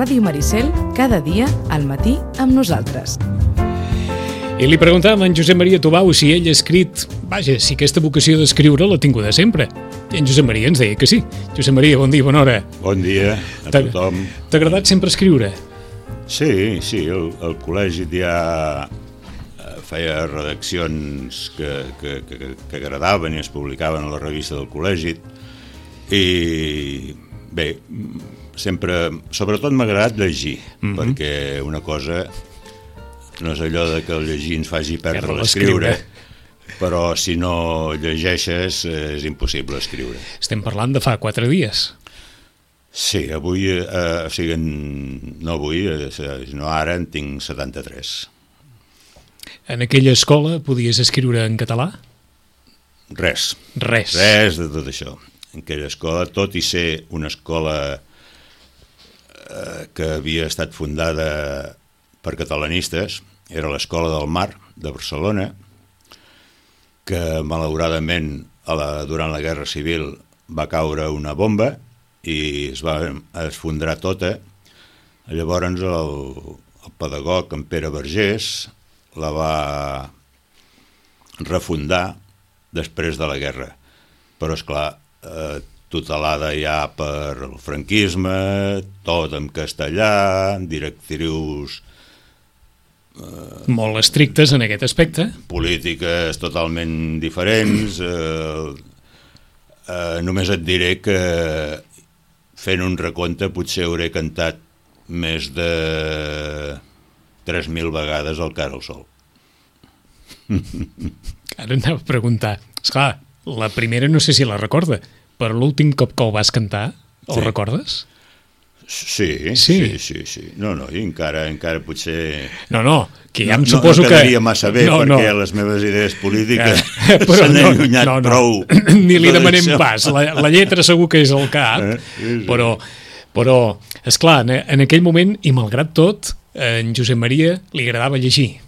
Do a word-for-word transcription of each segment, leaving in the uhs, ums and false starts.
Ràdio Maricel, cada dia al matí amb nosaltres. I li preguntàvem a en Josep Maria Tubau si ell ha escrit, vaja, si aquesta vocació d'escriure l'ha tinguda sempre. I en Josep Maria ens deia que sí. Josep Maria, bon dia, bona hora. Bon dia a tothom. T'ha agradat sempre escriure? Sí, sí, el, el col·legi ja feia redaccions que, que, que, que agradaven i es publicaven a la revista del col·legi. I bé, sempre, sobretot m'ha agradat llegir, mm-hmm. perquè una cosa no és allò de que el llegir ens faci perdre l'escriure, però si no llegeixes és impossible escriure. Estem parlant de fa quatre dies. Sí, avui, eh, o sigui, no avui, sinó ara en tinc setanta-tres. En aquella escola podies escriure en català? Res. Res. Res de tot això. En aquella escola, tot i ser una escola eh, que havia estat fundada per catalanistes, era l'Escola del Mar de Barcelona, que malauradament a la, durant la Guerra Civil va caure una bomba i es va esfondrar tota. Llavors el, el pedagog, en Pere Vergés, la va refundar després de la guerra. Però, esclar, eh, tutelada ja per el franquisme, tot en castellà, directrius Uh, molt estrictes en aquest aspecte. Polítiques totalment diferents. Uh, uh, només et diré que fent un recompte potser hauré cantat més de tres mil vegades el Cara al Sol. Ara anava a preguntar. Esclar, la primera no sé si la recorda, però l'últim cop que el vas cantar, el sí. recordes? Sí, sí, sí, sí, sí. No, no, i encara, encara potser... No, no, que ja em no, suposo no, no que... No quedaria massa bé, no, perquè no. les meves idees polítiques eh, s'han no, allunyat no, no. prou. Ni li demanem pas, la, la lletra segur que és el cap, eh, sí, sí. però, però esclar, en, en aquell moment, i malgrat tot, en Josep Maria li agradava llegir.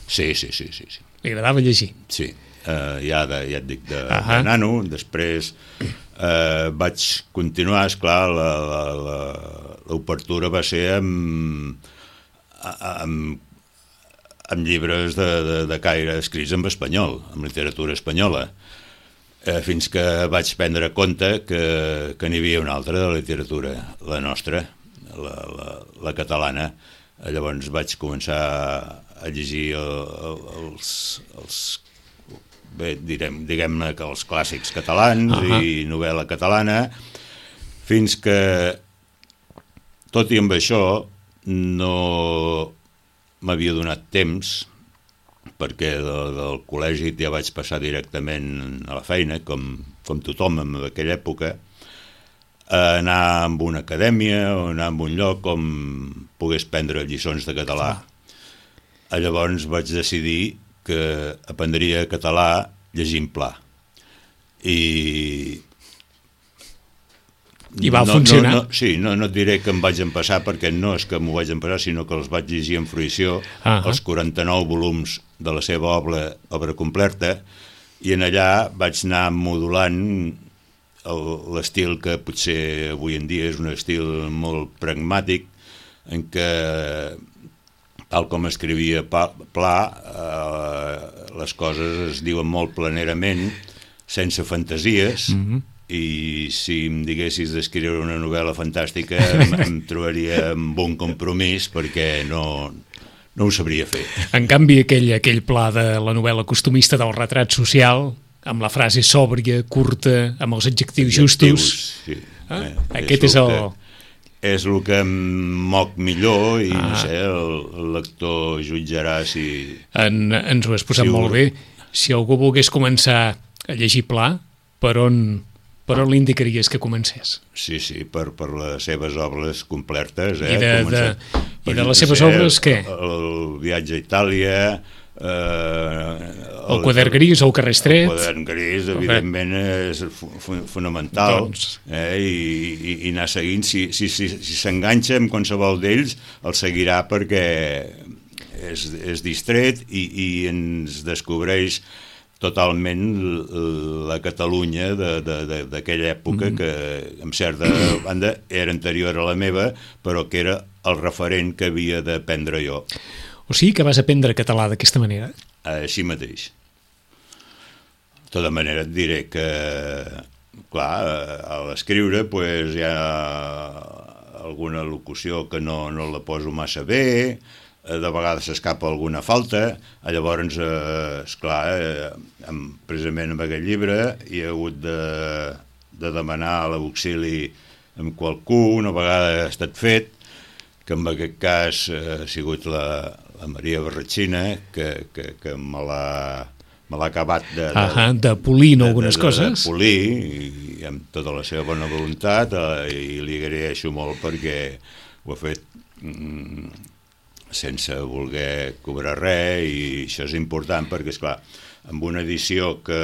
Sí, sí, sí, sí. sí. Li agradava llegir. Sí, uh, ja, de, ja et dic, de, uh -huh. de nano, després... Uh, vaig continuar, esclar, l'obertura va ser amb, amb, amb llibres de, de, de caire escrits en espanyol, amb literatura espanyola, uh, fins que vaig prendre compte que, que n'hi havia una altra de literatura, la nostra, la, la, la catalana. Llavors vaig començar a llegir el, els, els bé, direm, diguem-ne que els clàssics catalans uh-huh. i novel·la catalana, fins que, tot i amb això, no m'havia donat temps, perquè de, del col·legi ja vaig passar directament a la feina, com, com tothom en aquella època, a anar a una acadèmia o anar a un lloc on pogués prendre lliçons de català. Uh-huh. Llavors vaig decidir que aprendria català llegint Pla. I... I va no, funcionar? No, no, sí, no, no et diré que em vaig empassar, perquè no és que m'ho vaig empassar, sinó que els vaig llegir en fruïció, uh-huh. els quaranta-nou volums de la seva obra, obra completa, i en allà vaig anar modulant l'estil que potser avui en dia és un estil molt pragmàtic, en què tal com escrivia Pla, eh, les coses es diuen molt planerament, sense fantasies, mm-hmm. i si em diguessis d'escriure una novel·la fantàstica em, em trobaria amb un compromís, perquè no, no ho sabria fer. En canvi, aquell, aquell Pla de la novel·la costumista del retrat social, amb la frase sòbria, curta, amb els adjectius, adjectius justos, sí. eh? eh, aquest és el... Que... és el que em moc millor i, ah. no sé, el, el lector jutjarà si... En, ens ho has posat si molt ho... bé. Si algú volgués començar a llegir Pla, per on, per on li indicaries que comencés? Sí, sí, per, per les seves obres completes. Eh? I de, de, per, i de les seves obres, què? El, el viatge a Itàlia... Eh, el, el quadern gris o el carrer estret. El quadern gris, evidentment, és fonamental, doncs... eh, i, i, i anar seguint. Si, si, si, si s'enganxa amb qualsevol d'ells, el seguirà perquè és, és distret i, i ens descobreix totalment la Catalunya d'aquella època, mm. que en certa banda era anterior a la meva, però que era el referent que havia d'aprendre jo. O sigui que vas aprendre català d'aquesta manera? Així mateix. De tota manera et diré que, clar, a l'escriure pues, hi ha alguna locució que no, no la poso massa bé, de vegades s'escapa alguna falta, llavors, eh, esclar, eh, precisament amb aquest llibre hi ha hagut de, de demanar l'auxili amb qualcú, una vegada ha estat fet, que en aquest cas eh, ha sigut la, la Maria Barratxina, que, que, que me l'ha me l'ha acabat de, de, ah, de polir de, algunes de, de, coses. De polir, i, i amb tota la seva bona voluntat, eh, i li agraeixo molt perquè ho ha fet mm, sense voler cobrar res, i això és important perquè, esclar, amb una edició que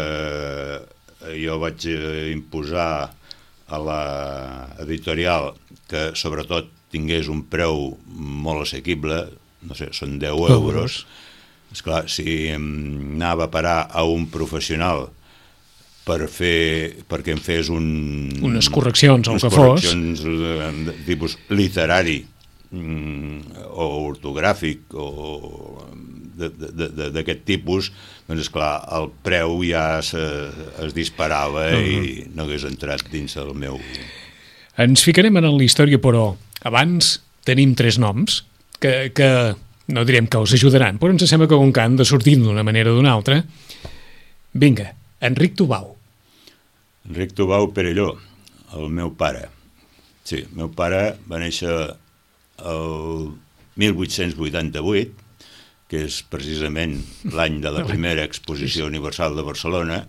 jo vaig imposar a l'editorial, que sobretot tingués un preu molt assequible, no sé, són deu euros, esclar, si anava a parar a un professional per fer, perquè em fes un... unes correccions, o el que fos. Unes correccions de tipus literari, o ortogràfic, o d'aquest tipus, doncs esclar, el preu ja es, es disparava uh-huh. i no hagués entrat dins el meu... Ens ficarem en la història, però abans tenim tres noms que, que no direm que us ajudaran, però ens sembla que com que han de sortir d'una manera o d'una altra. Vinga, Enric Tubau. Enric Tubau Perelló, el meu pare. Sí, el meu pare va néixer el mil vuit-cents vuitanta-vuit, que és precisament l'any de la primera exposició universal de Barcelona,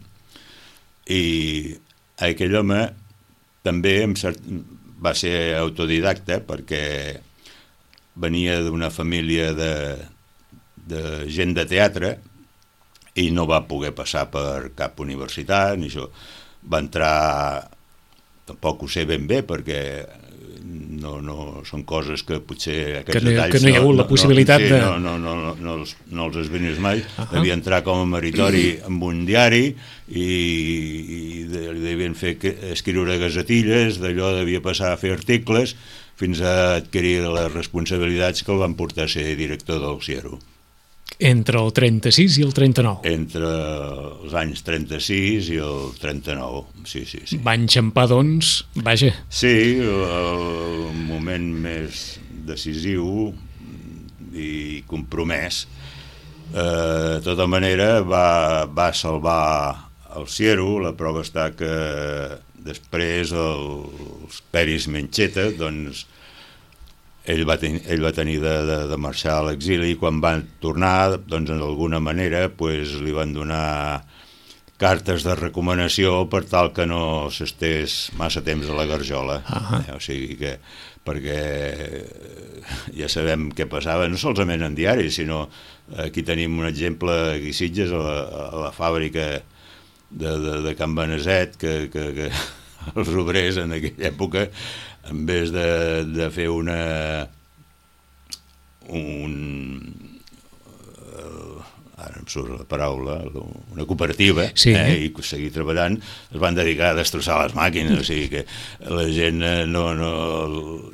i aquell home també cert... va ser autodidacta perquè venia d'una família de, de gent de teatre i no va poder passar per cap universitat, ni això. Va entrar, tampoc ho sé ben bé, perquè no, no són coses que potser aquests que no, detalls... Que no hi ha hagut no, la possibilitat no, sí, de... No, no, no, no, no, els, no els esvenis mai. Uh-huh. Devia entrar com a meritori amb un diari i, i li devien fer escriure gazetilles, d'allò devia passar a fer articles fins a adquirir les responsabilitats que el van portar a ser director del Ciero. Entre el trenta-sis i el trenta-nou. Entre els anys trenta-sis i el trenta-nou, sí, sí, sí. Va enxampar, doncs, vaja. Sí, el moment més decisiu i compromès. Eh, de tota manera, va, va salvar el Ciero. La prova està que després els Peris Mencheta, doncs, ell va, ten, ell va tenir de, de, de marxar a l'exili i quan van tornar, doncs, d'alguna manera, pues, li van donar cartes de recomanació per tal que no s'estés massa temps a la garjola. Uh-huh. eh, o sigui que, perquè ja sabem què passava, no solament en diaris, sinó aquí tenim un exemple aquí a Sitges, a la, a la fàbrica de, de, de Can Beneset, que, que, que els obrers en aquella època, en vez de, de fer una un uh, ara em surt la paraula, una cooperativa, sí. eh, i seguir treballant, es van dedicar a destrossar les màquines, o sigui que la gent no... no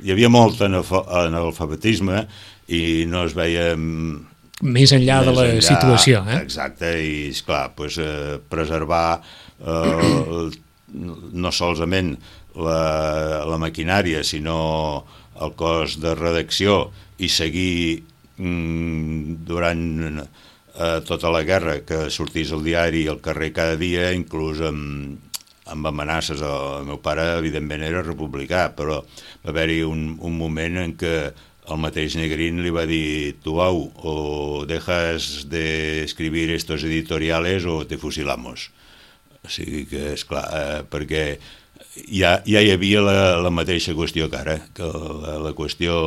hi havia molt analfabetisme i no es veia... Més enllà més de la enllà, situació, eh? Exacte, i esclar, pues, eh, preservar eh, no solament la, la maquinària, sinó el cos de redacció i seguir mm, durant eh, tota la guerra que sortís el diari al carrer cada dia, inclús amb, amb amenaces. El meu pare, evidentment, era republicà, però va haver-hi un, un moment en què el mateix Negrín li va dir: Tubau, o dejas de escribir estos editoriales o te fusilamos. O sigui que, esclar, eh, perquè ja, ja hi havia la, la mateixa qüestió que ara, que la, la qüestió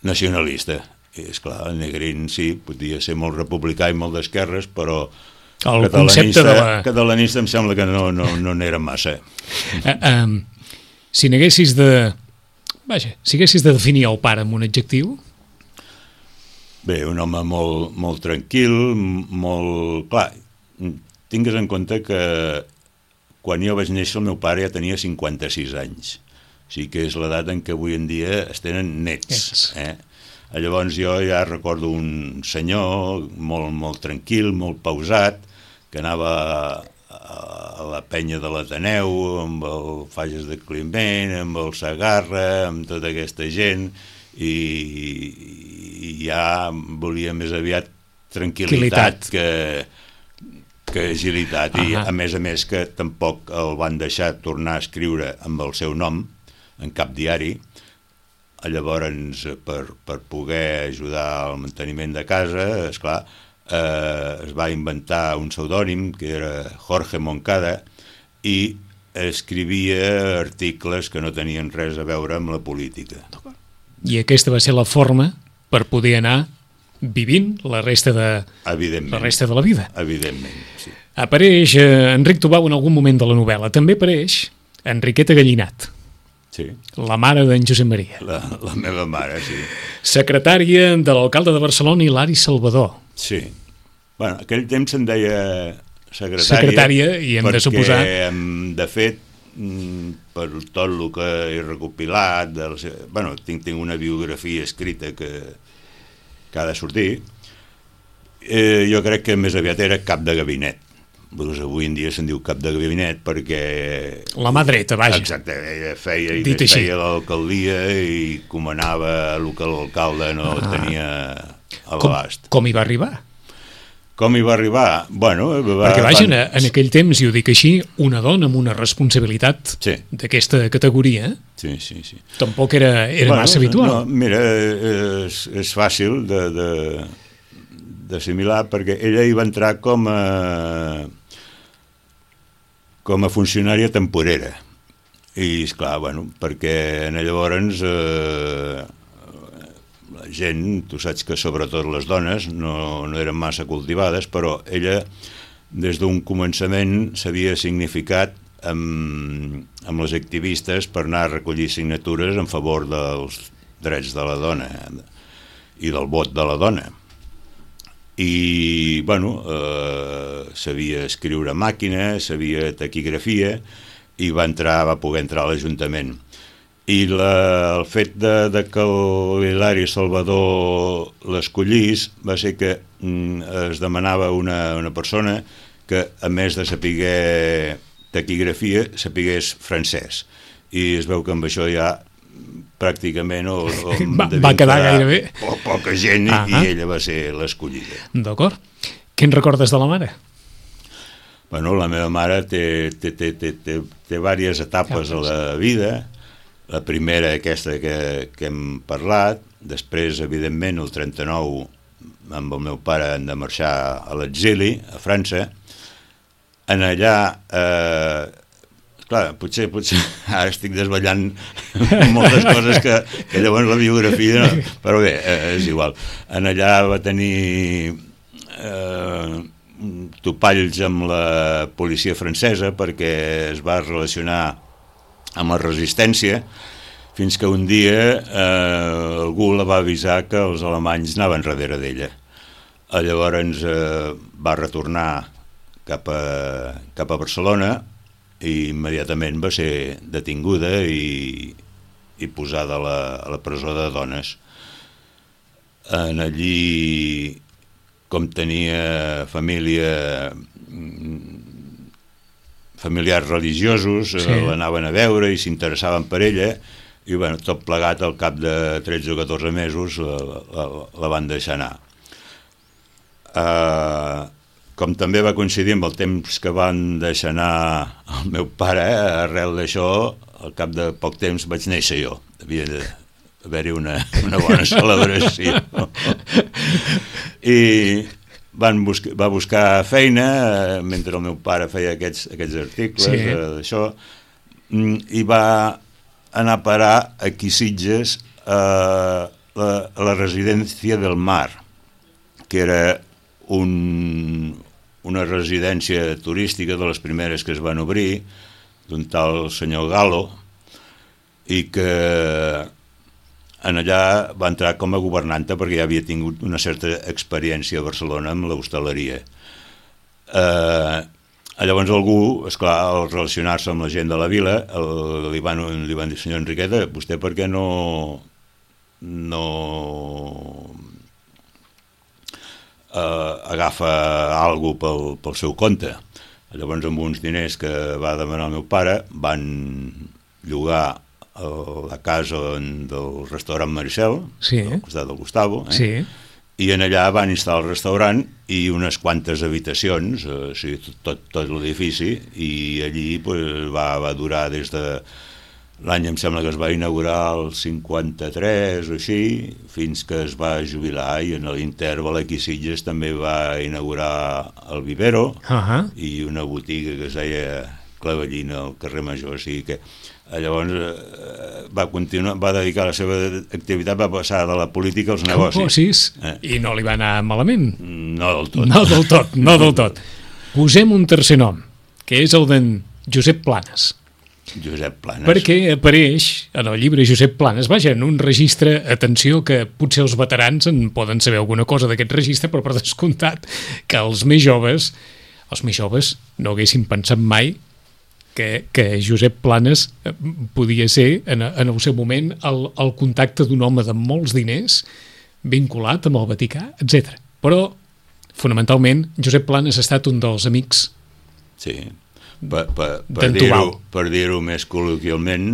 nacionalista. I, esclar, el Negrín sí, podia ser molt republicà i molt d'esquerres, però el catalanista, de la... catalanista em sembla que no, no, no n'era massa. Uh, um, si n'haguessis de... Vaja, si haguessis de definir el pare amb un adjectiu? Bé, un home molt, molt tranquil, molt... Clar, tingues en compte que quan jo vaig néixer el meu pare ja tenia cinquanta-sis anys. O sigui que és l'edat en què avui en dia es tenen nets. Eh? Llavors jo ja recordo un senyor molt, molt tranquil, molt pausat, que anava a la penya de l'Ateneu, amb el Fages de Climent, amb el Segarra, amb tota aquesta gent, i, i ja volia més aviat tranquil·litat que, que agilitat. I a més a més que tampoc el van deixar tornar a escriure amb el seu nom en cap diari. Llavors, per, per poder ajudar al manteniment de casa, esclar, eh, es va inventar un pseudònim que era Jorge Moncada i escrivia articles que no tenien res a veure amb la política. I aquesta va ser la forma per poder anar vivint la resta de, la, resta de la vida. Evidentment, sí. Apareix eh, Enric Tubau en algun moment de la novel·la. També apareix Enriqueta Gallinat, sí. La mare d'en Josep Maria. La, la meva mare, sí. Secretària de l'alcalde de Barcelona, Hilari Salvador. Sí. Bueno, aquell temps se'n deia secretària, secretària i hem de suposar... perquè, de fet, per tot el que he recopilat, del, bueno, tinc, tinc una biografia escrita que, que ha de sortir, eh, jo crec que més aviat era cap de gabinet. Doncs avui en dia se'n diu cap de gabinet perquè... La mà dreta, vaja. Exacte, ella feia i feia l'alcaldia i comanava el que l'alcalde no ah. tenia a l'abast. Com, com hi va arribar? Com hi va arribar? Bueno, va, perquè vaja, van... en aquell temps, i ho dic així, una dona amb una responsabilitat sí. d'aquesta categoria sí, sí, sí. tampoc era, era bueno, massa habitual. No, mira, és, és fàcil de, de, d'assimilar perquè ella hi va entrar com a com a funcionària temporera i esclar, bueno, perquè llavors eh, la gent, tu saps que sobretot les dones no, no eren massa cultivades, però ella des d'un començament s'havia significat amb, amb les activistes per anar a recollir signatures en favor dels drets de la dona i del vot de la dona. I, bueno, eh, sabia escriure a màquina, sabia taquigrafia i va entrar, va poder entrar a l'Ajuntament. I la, el fet de, de que l'Hilari Salvador l'escollís va ser que mm, es demanava una, una persona que, a més de saber taquigrafia, sapigués francès. I es veu que amb això ja pràcticament o, o va, va quedar gairebé po, poca gent ah i ella va ser l'escollida. D'acord. Què en recordes de la mare? Bueno, la meva mare té, té, té, té, té, té diverses etapes a la vida. La primera, aquesta que, que hem parlat, després, evidentment, el trenta-nou, amb el meu pare hem de marxar a l'exili, a França. En allà... Eh, clar, potser, potser ara estic desvetllant moltes coses que, que llavors la biografia no, però bé, és igual. En allà va tenir eh, topalls amb la policia francesa perquè es va relacionar amb la resistència fins que un dia eh, algú la va avisar que els alemanys anaven darrere d'ella. Llavors eh, va retornar cap a, cap a Barcelona i immediatament va ser detinguda i, i posada a la, a la presó de dones. En allí, com tenia família, familiars religiosos, sí. l'anaven a veure i s'interessaven per ella, i bueno, tot plegat al cap de tretze o catorze mesos la, la, la van deixar anar. Uh, com també va coincidir amb el temps que van deixar anar el meu pare, eh, arrel d'això, al cap de poc temps vaig néixer jo. Havia d'haver-hi una, una bona celebració. I van buscar, va buscar feina, eh, mentre el meu pare feia aquests, aquests articles, sí. eh, d'això, i va anar a parar aquí a Sitges a la, a la residència del Mar, que era un... una residència turística de les primeres que es van obrir, d'un tal senyor Galo, i que en allà va entrar com a governanta perquè ja havia tingut una certa experiència a Barcelona amb l'hostaleria. Eh, Llavors algú, esclar, al relacionar-se amb la gent de la vila, el, li, van, li van dir, senyor Enriqueta, vostè per què no no eh, agafa algú pel, pel seu compte? Llavors amb uns diners que va demanar el meu pare van llogar la casa del restaurant Maricel, sí. al costat del Gustavo, eh? Sí. I en allà van instal·lar el restaurant i unes quantes habitacions, eh, o sigui, tot, tot l'edifici, i allí pues, va, va durar des de l'any, em sembla que es va inaugurar el cinquanta-tres o així, fins que es va jubilar, i en l'interval aquí a Sitges també va inaugurar el Vivero, uh-huh. i una botiga que es deia Clavellina al carrer Major, o sigui que llavors eh, va continuar, va dedicar la seva activitat, va passar de la política als negocis. Eh. I no li va anar malament. No del tot. No del tot, no del tot. Posem un tercer nom, que és el d'en Josep Planes. Josep Planes. Perquè apareix en el llibre Josep Planes, vaja, en un registre, atenció, que potser els veterans en poden saber alguna cosa d'aquest registre, però per descomptat que els més joves, els més joves no haguessin pensat mai Que, que Josep Planes podia ser en, en el seu moment el, el contacte d'un home de molts diners vinculat amb el Vaticà, etcètera. Però, fonamentalment, Josep Planes ha estat un dels amics sí. per, per, per dir-ho per dir-ho més col·loquialment,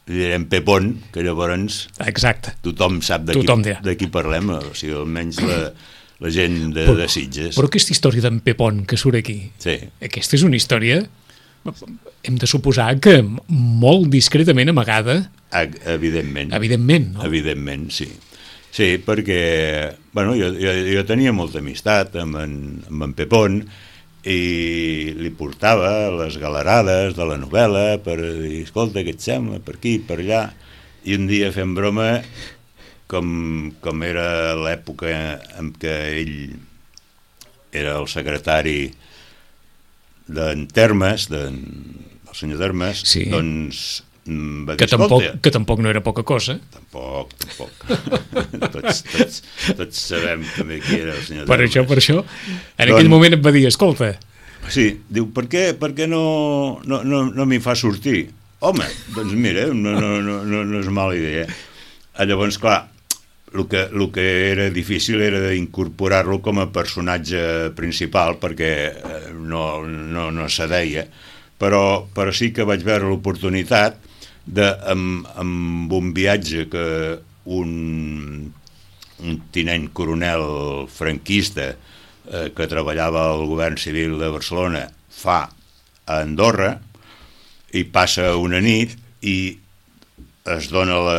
li direm Pepón, que llavors Exacte. tothom sap de, tothom qui, de qui parlem, o sigui, almenys la, la gent de, però, de Sitges. Però aquesta història d'en Pepón que surt aquí, sí. aquesta és una història, hem de suposar que molt discretament amagada. Evidentment. Evidentment, no? Evidentment, sí. Sí, perquè bueno, jo, jo, jo tenia molta amistat amb en, amb en Pepón i li portava les galerades de la novel·la per dir, escolta, què et sembla, per aquí, per allà. I un dia fent broma, com, com era l'època en què ell era el secretari d'en Termes, d'en, del senyor Termes, sí. doncs va dir, que, tampoc, que tampoc no era poca cosa. Tampoc, tampoc. tots, tots, tots sabem també qui era el senyor per Termes. Això, per això, en aquell doncs, moment em va dir, escolta... Sí, diu, per què, per què no, no, no, no m'hi fa sortir? Home, doncs mira, no, no, no, no, no és mala idea. Llavors, clar, el que, el que era difícil era d'incorporar-lo com a personatge principal, perquè no, no, no se deia, però, però sí que vaig veure l'oportunitat de, amb, amb un viatge que un, un tinent coronel franquista eh, que treballava al govern civil de Barcelona fa a Andorra, i passa una nit i es dona la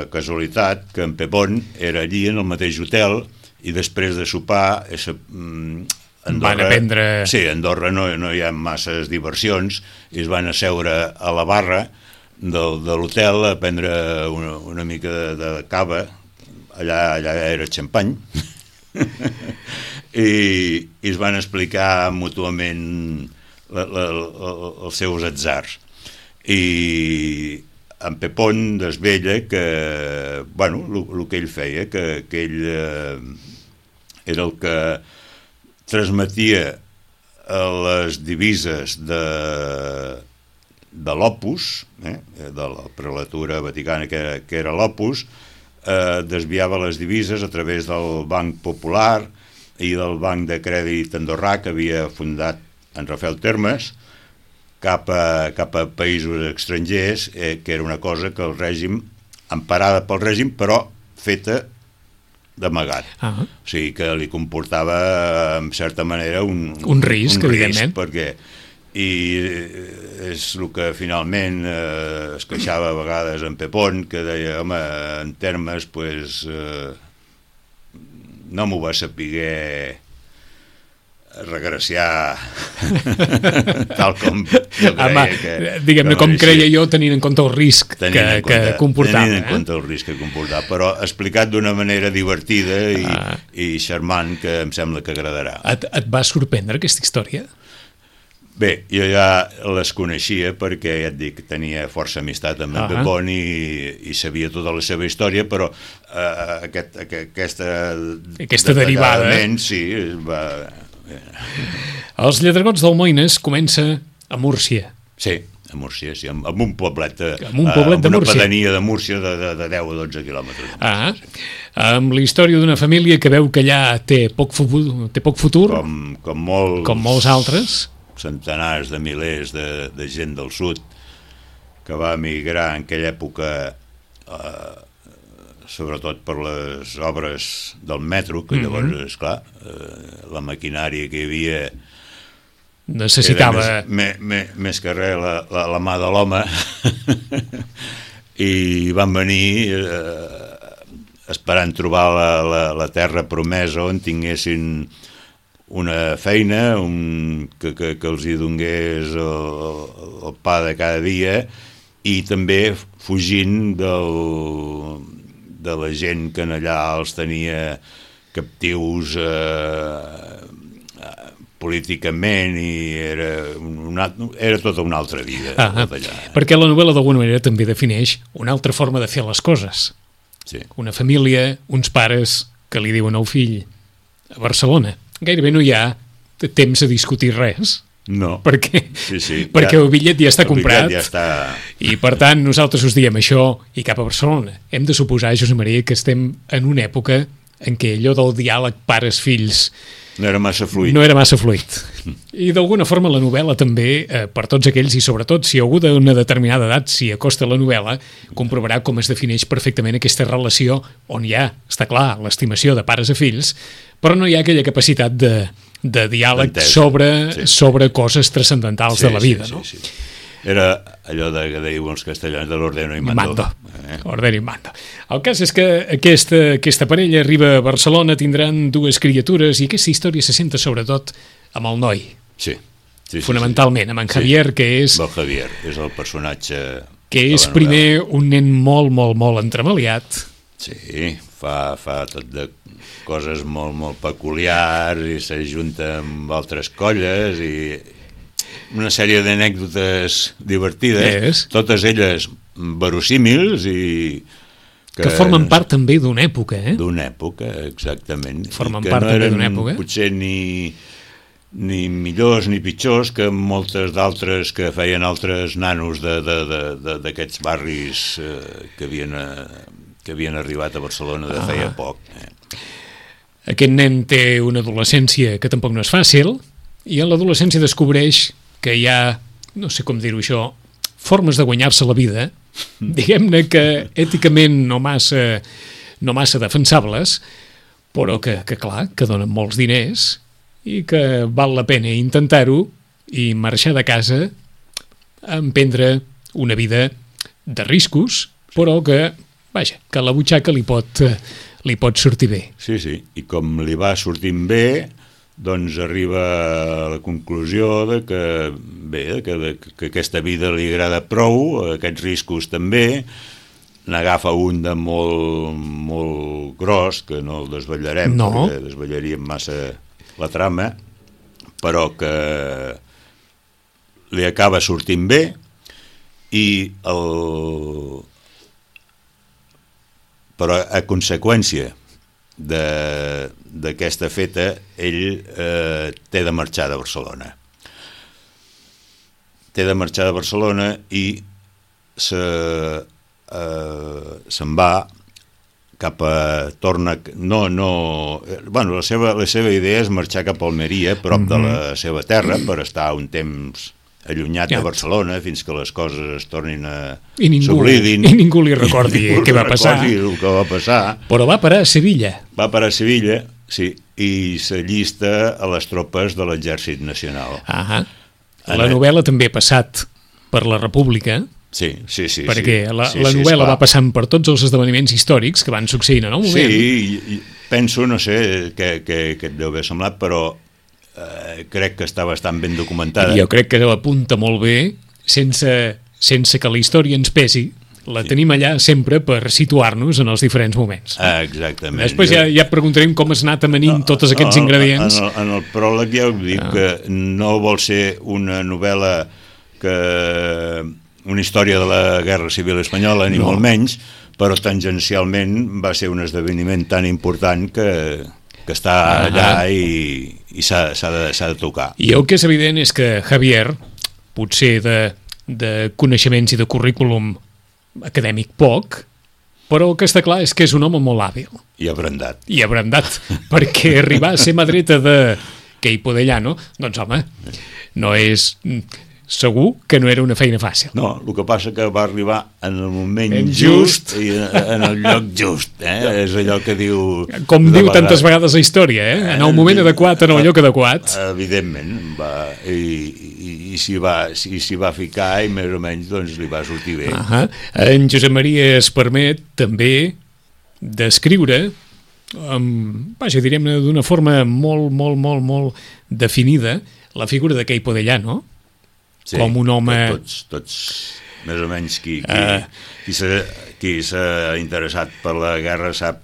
casualitat que en Pepón era allí en el mateix hotel, i després de sopar esa, Andorra, van aprendre... Sí, a Andorra no, no hi ha masses diversions, i es van asseure a la barra del, de l'hotel a prendre una, una mica de, de cava, allà, allà era xampany, I, i es van explicar mútuament la, la, la, els seus atzars. I en Pepón desvella que, bueno, el que ell feia, que, que ell eh, era el que transmetia les divises de, de l'Opus, eh, de la prelatura vaticana que era, que era l'Opus, eh, desviava les divises a través del Banc Popular i del Banc de Crèdit Andorrà que havia fundat en Rafael Termes, cap a, cap a països estrangers, eh, que era una cosa que el règim, emparada pel règim, però feta d'amagat. Ah. O sigui que li comportava, en certa manera, un, un risc, un evidentment. Risc, perquè, i és el que finalment eh, es queixava a vegades en Pepón, que deia, home, en Termes, pues, eh, no m'ho va saber regraciar tal com jo creia. Home, que, diguem-ne, que com creia jo, tenint en compte el risc que, compte, que comportava. Tenint en eh? compte el risc que comportava, però explicat d'una manera divertida i, ah. i charmant, que em sembla que agradarà. Et, et va sorprendre aquesta història? Bé, jo ja les coneixia perquè, ja et dic, tenia força amistat amb en Pepón i, i sabia tota la seva història, però eh, aquest, aquest, aquesta... Aquesta derivada. Sí, va, Els Lladregots d'Almoines comença a Múrcia. Sí, a Múrcia, sí, amb, amb un poblet, de, amb un poblet amb de una Múrcia. pedania de Múrcia de, de, de deu o dotze quilòmetres. Ah, amb la història d'una família que veu que allà té poc, fu té poc futur, Com, com, molts, com molts altres. Centenars de milers de, de gent del sud que va emigrar en aquella època, eh, sobretot per les obres del metro, que llavors, mm -hmm. esclar, eh, la maquinària que hi havia necessitava era més, més, més que res la, la, la mà de l'home i van venir eh, esperant trobar la, la, la terra promesa on tinguessin una feina un, que, que, que els hi donés el, el pa de cada dia, i també fugint del, de la gent que allà els tenia captius eh, políticament, i era, una, era tota una altra vida. Ah, tot allà. Perquè la novel·la d'alguna manera també defineix una altra forma de fer les coses. Sí. Una família, uns pares que li diuen al fill a Barcelona. Gairebé no hi ha temps a discutir res. No. Perquè, sí, sí, perquè ja, el bitllet ja està el comprat ja està... i per tant nosaltres us diem això i cap a Barcelona. Hem de suposar, Josep Maria, que estem en una època en què allò del diàleg pares-fills no era massa fluid. No era massa fluid. I d'alguna forma la novel·la també, eh, per tots aquells, i sobretot si algú d'una determinada edat s'hi acosta a la novel·la, comprovarà com es defineix perfectament aquesta relació on hi ha, està clar, l'estimació de pares a fills, però no hi ha aquella capacitat de, de diàleg sobre, sí. sobre coses transcendentals sí, de la vida. Sí, no? sí, sí. Era allò de, que diuen els castellans de l'ordeno i mando. mando. Eh? Ordeno i mando. El cas és que aquesta, aquesta parella arriba a Barcelona, tindran dues criatures, i aquesta història se senta sobretot amb el noi. Sí. sí Fonamentalment, sí, sí. amb en Javier, sí. que és... El Javier és el personatge... Que és primer un nen molt, molt, molt entremaliat. Sí, fa, fa tot de coses molt, molt peculiars, i s'ajunta amb altres colles, i... una sèrie d'anècdotes divertides, és. totes elles verosímils i... Que, que formen part també d'una època, eh? D'una època, exactament. Formen que part no també d'una època. Potser ni, ni millors ni pitjors que moltes d'altres que feien altres nanos d'aquests barris eh, que, havien, eh, que havien arribat a Barcelona de feia ah. poc. Eh. Aquest nen té una adolescència que tampoc no és fàcil, i a l'adolescència descobreix que hi ha, no sé com dir-ho això, formes de guanyar-se la vida, diguem-ne que èticament no massa, no massa defensables, però que, que clar, que donen molts diners i que val la pena intentar-ho i marxar de casa a emprendre una vida de riscos, però que, vaja, que la butxaca li pot, li pot sortir bé. Sí, sí, i com li va sortint bé, doncs arriba a la conclusió de que, bé, que, de, que aquesta vida li agrada prou, aquests riscos també, n'agafa un de molt, molt gros, que no el desvetllarem, no. perquè desvetllaríem massa la trama, però que li acaba sortint bé, i el... però a conseqüència d'aquesta feta, ell eh, té de marxar de Barcelona. Té de marxar de Barcelona i se, eh, se'n va cap a... torna... No, no... Bueno, la seva, la seva idea és marxar cap a Almeria, prop mm-hmm. de la seva terra, per estar un temps allunyat ja. de Barcelona fins que les coses es tornin a s'oblidin. I ningú li recordi ningú què va passar. El que va passar. Però va parar a Sevilla. Va parar a Sevilla, sí, i s'allista a les tropes de l'Exèrcit Nacional. Ah, la novel·la també ha passat per la República. Sí, sí, sí. Perquè sí, la, sí, la sí, novel·la esclar. va passant per tots els esdeveniments històrics que van succeint en el moment. Sí, i, i penso, no sé què, què, què et deu haver semblat, però eh, crec que està bastant ben documentada. Jo crec que apunta molt bé, sense, sense que la història ens pesi. La sí. tenim allà sempre per situar-nos en els diferents moments. Ah, exactament. Després ja, ja preguntarem com has anat amanint no, tots aquests no, ingredients. En el, en el pròleg ja ho dic, ah. que no vol ser una novel·la que... una història de la Guerra Civil Espanyola, ni no. molt menys, però tangencialment va ser un esdeveniment tan important que, que està allà i, i s'ha, s'ha, de, s'ha de tocar. I el que és evident és que Javier, potser de, de coneixements i de currículum acadèmic poc, però el que està clar és que és un home molt hàbil. I abrandat. I abrandat, perquè arribar a ser mà dreta de Queipo de Llano, doncs home, no és... Segur que no era una feina fàcil. No, el que passa que va arribar en el moment en just, just i en el lloc just, eh? És allò que diu... Com diu vegades, tantes vegades la història, eh? En el moment adequat, en el lloc adequat. Evidentment, va, i, i, i s'hi va, si, si va ficar i més o menys doncs, li va sortir bé. Uh -huh. En Josep Maria es permet també descriure, um, vaja, direm-ne d'una forma molt, molt, molt, molt definida, la figura de Queipo de Llano, sí, com un home... Tots, tots més o menys, qui, qui, uh, qui, s'ha, qui s'ha interessat per la guerra sap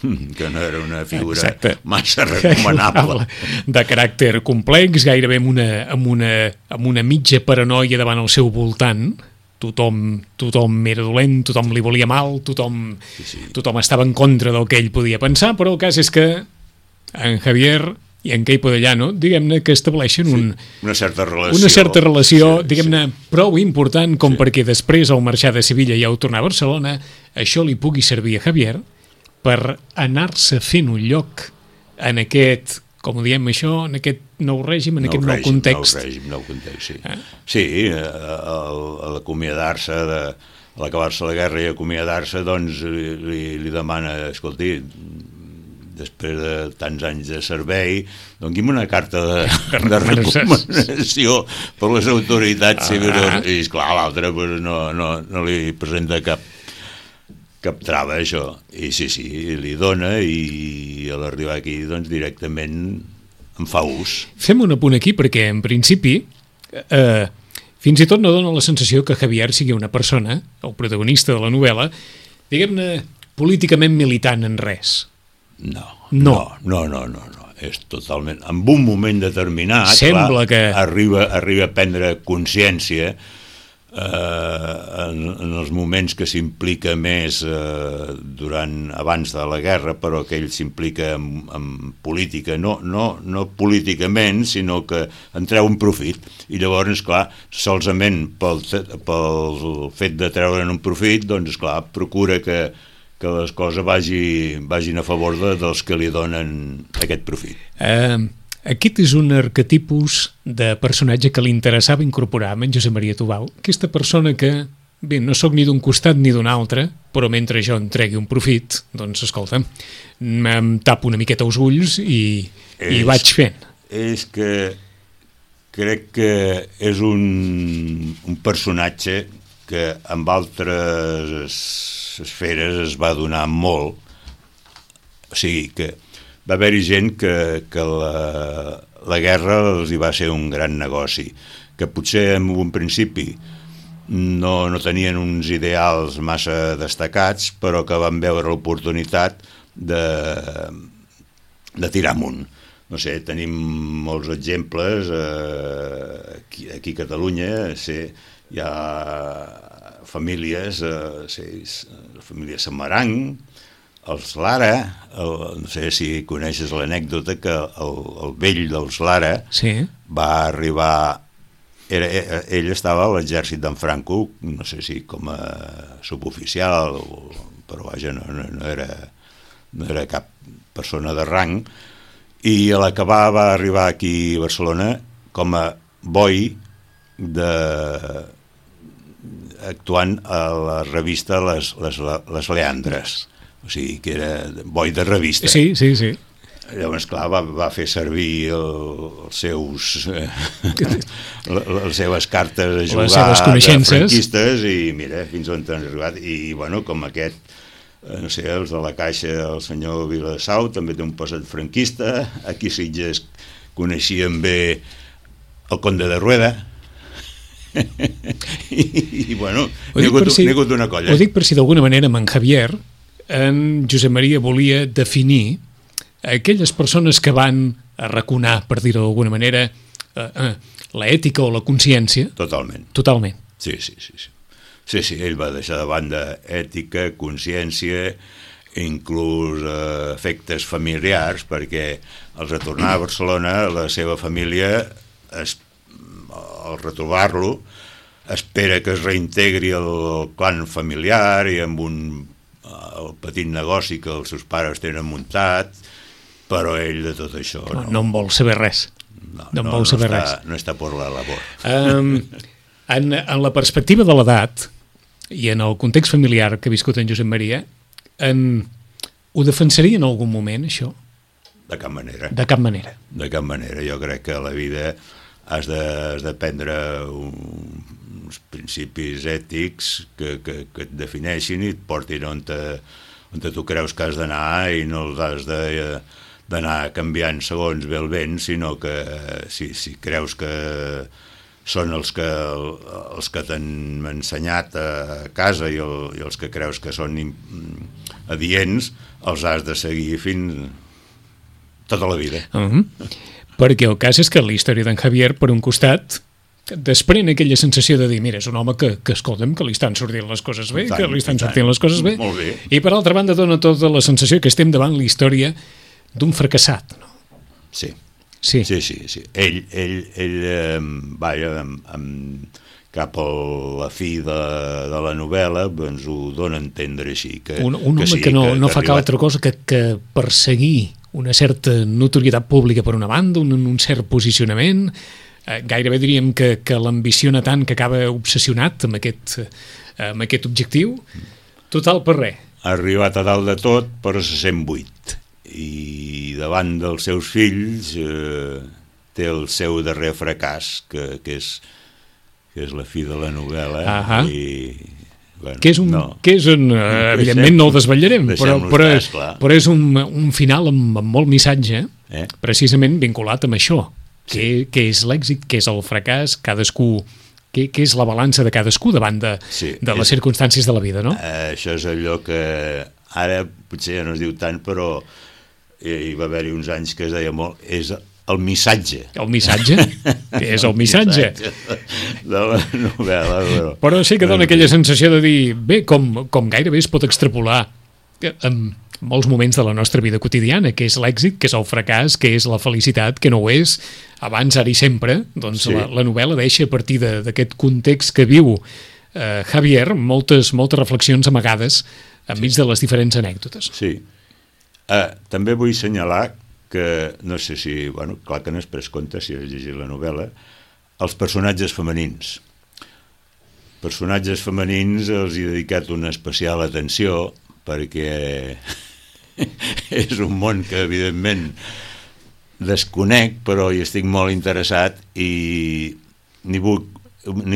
que no era una figura exacte. Massa recomanable. De caràcter complex, gairebé amb una, amb una, amb una mitja paranoia davant el seu voltant. Tothom, tothom era dolent, tothom li volia mal, tothom, sí, sí. tothom estava en contra del que ell podia pensar, però el cas és que en Javier i en Queipo de Llano, diguem-ne que estableixen un, sí, una certa relació, una certa relació sí, diguem-ne, sí. prou important com sí. perquè després, al marxar de Sevilla i al tornar a Barcelona, això li pugui servir a Javier per anar-se fent un lloc en aquest, com ho diem això, en aquest nou règim, en nou aquest nou règim, context. Nou règim, nou context, sí. Eh? Sí, a l'acomiadar-se, de, a l'acabar-se la guerra i acomiadar-se, doncs li, li, li demana, escolti, després de tants anys de servei, dongui'm una carta de, de recomanació per les autoritats civils. Ah. I, esclar, l'altre pues, no, no, no li presenta cap, cap trava, això. I sí, sí, li dona i a l'arribar aquí, doncs, directament en fa ús. Fem un apunt aquí perquè, en principi, eh, fins i tot no dona la sensació que Javier sigui una persona, el protagonista de la novel·la, diguem-ne, políticament militant en res. No, no, no, no, no, no. És totalment... En un moment determinat, sembla clar, que... arriba, arriba a prendre consciència eh, en, en els moments que s'implica més eh, durant, abans de la guerra, però que ell s'implica en, en política, no, no, no políticament, sinó que en treu un profit. I llavors, clar, solament pel, pel fet de treure'n un profit, doncs, clar, procura que que les coses vagi, vagin a favor de, dels que li donen aquest profit. Uh, aquest és un arquetipus de personatge que li interessava incorporar amb en Josep Maria Tubau. Aquesta persona que, bé, no sóc ni d'un costat ni d'un altre, però mentre jo en tregui un profit, doncs, escolta, em tapo una miqueta els ulls i, és, i vaig fent. És que crec que és un, un personatge que amb altres esferes es va donar molt, o sigui que va haver-hi gent que, que la, la guerra els hi va ser un gran negoci, que potser en un principi no, no tenien uns ideals massa destacats, però que van veure l'oportunitat de, de tirar amunt. No sé, tenim molts exemples, eh, aquí, aquí a Catalunya, sé, hi ha famílies, eh, sé, la família Samaranc, els Lara, el, no sé si coneixes l'anècdota que el, el vell dels Lara sí. va arribar, era, ell estava a l'exèrcit d'en Franco, no sé si com a suboficial, però vaja, no, no, no, era, no era cap persona de rang, i a l'acabar va arribar aquí a Barcelona com a boi de... actuant a la revista Les, les, les Leandres, o sigui que era boi de revista. Sí, sí, sí. Llavors, clar, va, va fer servir el, els seus eh, les seves cartes a jugar de franquistes i mira, fins on han arribat. I bueno, com aquest, no sé, els de la Caixa, el senyor Vilasau també té un passat franquista, aquí a Sitges coneixien bé el Conde de Rueda, I, i bueno, n'hi ha hagut, si, hagut una colla. Ho dic per si d'alguna manera amb en Javier, en Josep Maria volia definir aquelles persones que van arraconar, per dir-ho d'alguna manera, eh, eh, l'ètica o la consciència. Totalment. Totalment. Sí, sí, sí, sí. Sí, sí, ell va deixar de banda ètica, consciència inclús eh, efectes familiars, perquè al retornar a Barcelona la seva família, es, al retrobar-lo, espera que es reintegri el clan familiar i amb un el petit negoci que els seus pares tenen muntat, però ell de tot això no, no en vol saber res. No, no en no, vol saber no res. està, no està per la labor. Um, en, en la perspectiva de l'edat i en el context familiar que ha viscut en Josep Maria, en, ho defensaria en algun moment, això? De cap manera. De cap manera. De cap manera. Jo crec que a la vida has de, has de prendre un, uns principis ètics que, que, que et defineixin i et portin on, te, on te tu creus que has d'anar i no els has de, d'anar canviant segons ve el vent, sinó que si, si creus que són els que, els que t'han ensenyat a casa i, el, i els que creus que són adients, els has de seguir fins tota la vida. Uh-huh. Perquè el cas és que la història d'en Javier, per un costat, desprèn aquella sensació de dir, mira, és un home que, que escolta'm, que li estan sortint les coses bé, tant, que li estan sortint les coses bé. Molt bé. I per altra banda dona tota la sensació que estem davant la història d'un fracassat. No? Sí. Sí. Sí, sí, sí. Ell, ell, ell eh, vaja, amb, amb, cap a la fi de, de la novel·la, doncs ho dona a entendre així. Que, un un que home sí, que no, que, no que fa arribat... cap altra cosa que, que perseguir una certa notorietat pública per una banda, un, un cert posicionament, eh, gairebé diríem que, que l'ambiciona tant que acaba obsessionat amb aquest, eh, amb aquest objectiu, total per res. Ha arribat a dalt de tot, però se sent buit. I davant dels seus fills eh, té el seu darrer fracàs, que, que, és, que és la fi de la novel·la. Ahà. I... Bueno, que és un, no. que és un uh, evidentment no ho desvetllarem, però, però, és, però és un, un final amb, amb molt missatge, eh? precisament vinculat amb això, que, sí. que és l'èxit, que és el fracàs, cadascú, que, que és la balança de cadascú davant de, sí, de les és, circumstàncies de la vida, no? Eh, això és allò que ara potser ja no es diu tant, però hi va haver-hi uns anys que es deia molt, és el missatge. El missatge? Què és el missatge? De la novel·la. Però, però sí que dona aquella sensació de dir, bé, com, com gairebé es pot extrapolar en molts moments de la nostra vida quotidiana, que és l'èxit, que és el fracàs, que és la felicitat, que no ho és, abans, ara i sempre, doncs sí. la, la novel·la deixa a partir d'aquest context que viu eh, Javier moltes, moltes reflexions amagades enmig sí. de les diferents anècdotes. Sí. Uh, també vull assenyalar que, no sé si, bueno, clar que no has pres compte si has llegit la novel·la, els personatges femenins. Personatges femenins els he dedicat una especial atenció perquè és un món que, evidentment, desconec, però hi estic molt interessat i n'he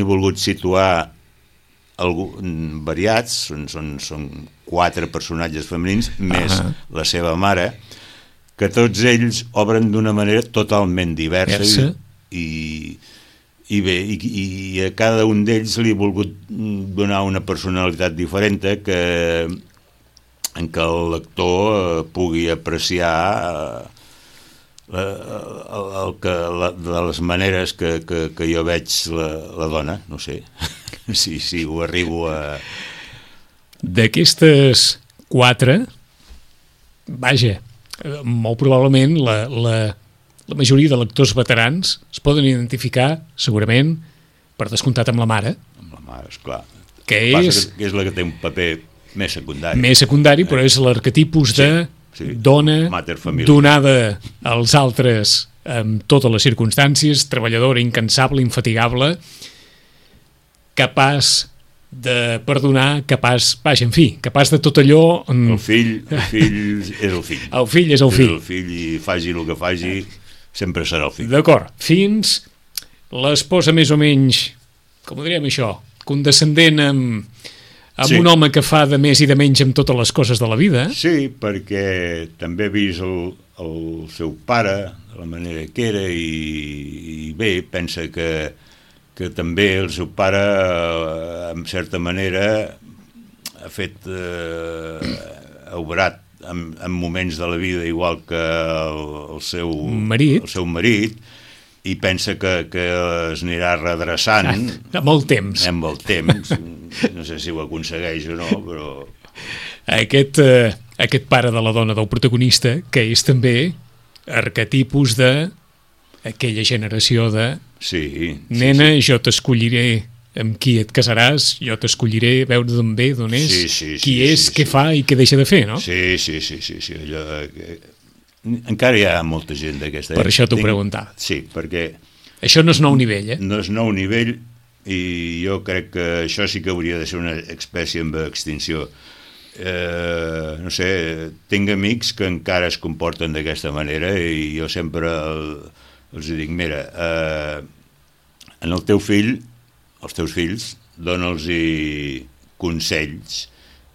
volgut situar algú, variats, són, són, són quatre personatges femenins, més uh-huh. la seva mare, que tots ells obren d'una manera totalment diversa i, i bé, i, i a cada un d'ells li he volgut donar una personalitat diferent que, en què el lector pugui apreciar el, el que, la, de les maneres que, que, que jo veig la, la dona, no sé, si, si ho arribo a... D'aquestes quatre, vaja, molt probablement la, la, la majoria de lectors veterans es poden identificar segurament per descomptat amb la mare, amb la mare, esclar, que és, que és la que té un paper més secundari més secundari, però és l'arquetipus de sí, sí, dona donada als altres amb totes les circumstàncies, treballadora, incansable, infatigable, capaç de perdonar, capaç, vaja, en fi, capaç de tot allò... El fill, el fill és el fill. El fill és el fill. És el fill i faci el que faci, sempre serà el fill. D'acord, fins l'esposa més o menys, com ho diríem això, condescendent amb, amb sí. un home que fa de més i de menys amb totes les coses de la vida. Sí, perquè també he vist el, el seu pare, de la manera que era, i, i bé, pensa que que també el seu pare, en certa manera, ha fet, eh, ha obrat en, en moments de la vida igual que el, el, seu, marit. el seu marit, i pensa que, que es anirà redreçant. Ah, amb el temps. Amb el temps. No sé si ho aconsegueix o no, però... Aquest, eh, aquest pare de la dona del protagonista, que és també arquetipus de aquella generació de sí, nena, sí, sí. jo t'escolliré amb qui et casaràs, jo t'escolliré veure d'on ve, d'on és, sí, sí, qui sí, és, sí, què sí. fa i què deixa de fer, no? Sí, sí, sí, sí, sí. Allò, eh, encara hi ha molta gent d'aquesta. Per això t'ho Tinc... preguntava. Sí, perquè... Això no és nou nivell, eh? No és nou nivell i jo crec que això sí que hauria de ser una espècie en extinció. Eh, no sé, tinc amics que encara es comporten d'aquesta manera i jo sempre el, els dic, mira, eh, en el teu fill, els teus fills, dona'ls-hi consells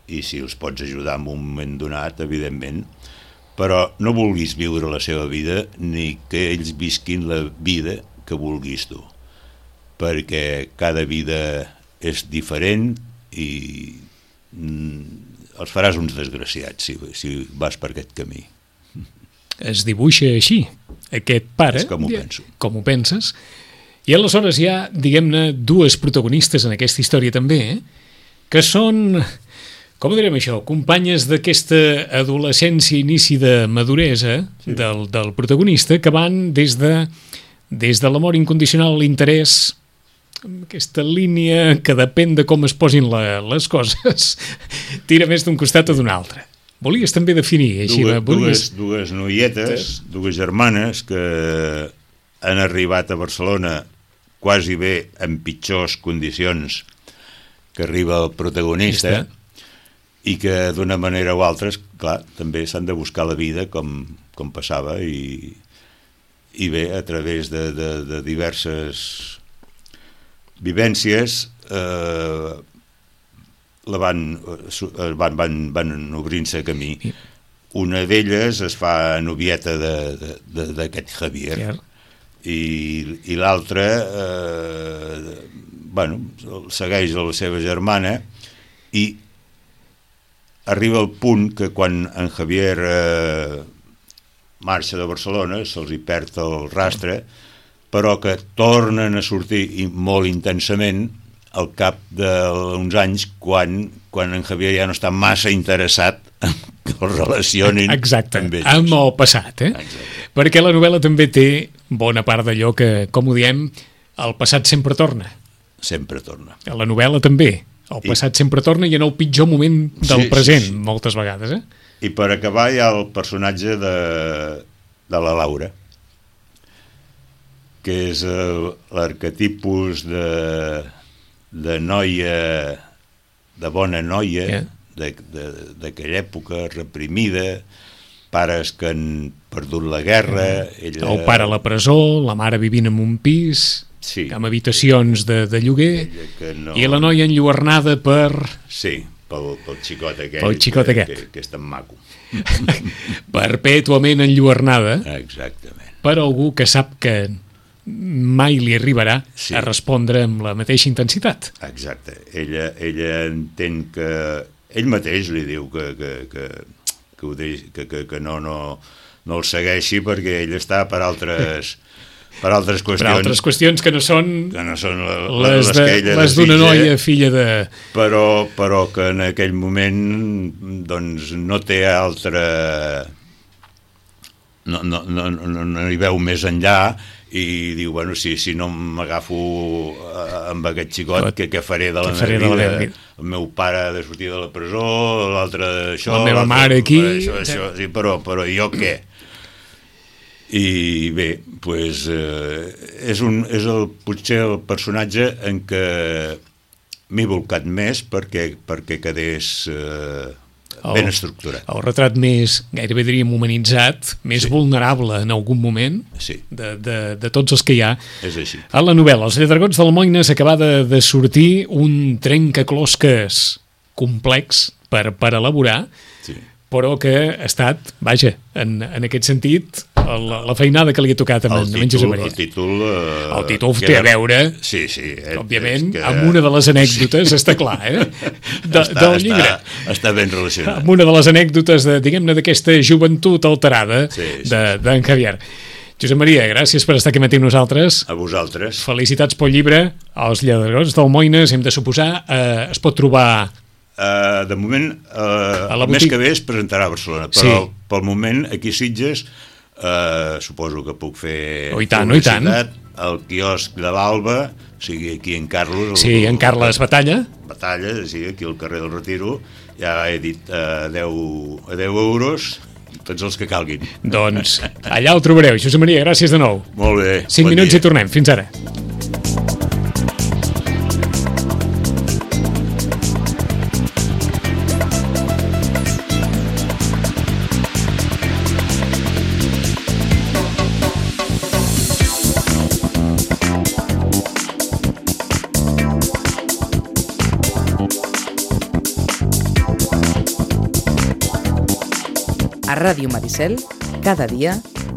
i si els pots ajudar en un moment donat, evidentment, però no vulguis viure la seva vida ni que ells visquin la vida que vulguis tu, perquè cada vida és diferent i mm, els faràs uns desgraciats si, si vas per aquest camí. Es dibuixa així, aquest pare, és com ho penso. Com ho penses, i aleshores hi ha, diguem-ne, dues protagonistes en aquesta història també, eh? Que són, com ho direm això, companyes d'aquesta adolescència, inici de maduresa sí. del, del protagonista, que van des de, des de l'amor incondicional a l'interès, aquesta línia que depèn de com es posin la, les coses, tira més d'un costat o d'un altre. Volies també definir així? Dues, volies... dues, dues noietes, dues germanes que han arribat a Barcelona quasi bé en pitjors condicions que arriba el protagonista i que d'una manera o altra, clar, també s'han de buscar la vida com, com passava i, i bé, a través de, de, de diverses vivències eh, la van, van, van, van obrint-se camí. Una d'elles es fa novieta d'aquest Javier sí. i, i l'altra eh, bueno, segueix a la seva germana i arriba al punt que quan en Javier eh, marxa de Barcelona se'ls hi perd el rastre, però que tornen a sortir i molt intensament al cap d'uns anys quan, quan en Javier ja no està massa interessat que el relacionin Exacte, amb ells. Amb el passat, eh? Exacte. Perquè la novel·la també té bona part d'allò que, com ho diem, el passat sempre torna. Sempre torna. A la novel·la també. El passat I... sempre torna i en el pitjor moment del sí, present, sí, sí. moltes vegades, eh? I per acabar hi ha el personatge de, de la Laura, que és l'arquetipus de, de noia, de bona noia, yeah. d'aquella època reprimida, pares que han perdut la guerra... Ella... El pare a la presó, la mare vivint en un pis, sí. amb habitacions de, de lloguer, no... i la noia enlluernada per... Sí, pel, pel xicot aquell, pel xicot que, aquest. que, que és tan maco. Perpètuament enlluernada. Exactament. Per algú que sap que mai li arribarà sí. a respondre amb la mateixa intensitat. Exacte. Ella, ella entén que... Ell mateix li diu que, que, que, que, ho deix, que, que, que no, no, no el segueixi perquè ell està per altres... per altres qüestions... Per altres qüestions que no són... Que no són la, les, les de, que ella les d'una noia filla de... Però, però que en aquell moment doncs no té altra... No, no, no, no, no hi veu més enllà i diu, bueno, si, si no m'agafo amb aquest xicot, què, què faré de la meva vida? La meva vida? El meu pare ha de sortir de la presó, l'altre d'això... La meva mare aquí... Això, això, sí, però, però jo què? I bé, pues, eh, és, un, és el, potser el personatge en què m'he volcat més perquè, perquè quedés eh, ben estructurat. El, el retrat més, gairebé diríem, humanitzat, més sí. vulnerable en algun moment sí. de, de, de tots els que hi ha. És així. A la novel·la, Els Lladregons d'Almoines acaba de, de sortir un trencaclosques complex per, per elaborar, sí. però que ha estat, vaja, en, en aquest sentit... La, la feinada que li ha tocat a en Josep Maria. El títol... Eh, el títol té a veure, sí, sí, eh, òbviament, que... amb una de les anècdotes, està clar, eh? De, està, del llibre. Està, està ben relacionat. Amb una de les anècdotes, de, diguem-ne, d'aquesta joventut alterada sí, sí. d'en de, Javier. Josep Maria, gràcies per estar aquí matí amb nosaltres. A vosaltres. Felicitats pel llibre, Els Lladregons d'Almoines, hem de suposar, eh, es pot trobar... Uh, de moment, uh, el mes que ve es presentarà a Barcelona, però sí. pel moment, aquí a Sitges, uh, suposo que puc fer oh, i tant, oh, i tant. al quiosc de l'Alba, o sigui, aquí en Carlos... El, sí, en Carles Batalla. Batalla, sí, aquí al carrer del Retiro, ja he dit uh, deu euros, tots els que calguin. Doncs allà el trobareu. Josep Maria, gràcies de nou. Molt bé. Cinc bon minuts dia. I tornem. Fins ara. A Ràdio Maricel, cada dia,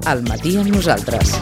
al matí amb nosaltres.